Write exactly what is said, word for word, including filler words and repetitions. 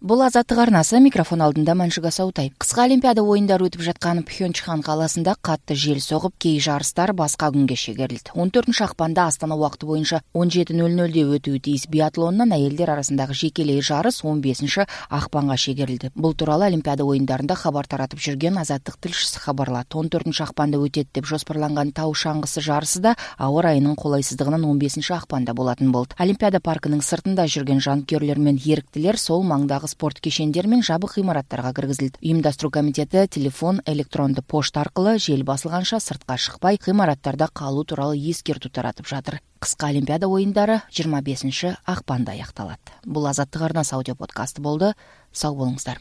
Бул Азаттык арнасы, микрофон алдында Маншуга Саутай. Кыска Олимпиада оюндары өтүп жаткан Пхенчхан калаасында катты жел согуп, кей жарыстар башка күнгө шегерилди. он төртүнчү акпанда Астана убакыты боюнча он жети нөл нөлдө өтүүгө тийиз биатлондон аялдер арасындагы жекелей жарыс он бешинчи акпанга шегерилди. Бул тууралуу Олимпиада оюндарында кабар таратып жүргөн Азаттык тилшиси кабарлады. он төртүнчү акпанда өтөт деп жоспарланган тау шаңгысы жарысы да аба ырайынын колойсуздугунан он бешинчи акпанда болатын болду. Олимпиада паркынын сыртында жүргөн жанкүйерлөр менен эрктилер сол маңдагы спорт кешендери менен жабык имараттарга киргизилди. Уюмдаштыруу комитети телефон, электрондуу почта аркылуу жел басылганча сыртка шыкпай, имараттарда калуу тууралуу эскертүү таратып жатыр. Кыска Олимпиада оюндары жыйырма бешинчи акпанда аякталат. Бул Азаттык арнасы аудио подкасты болду. Сау болуңуздар.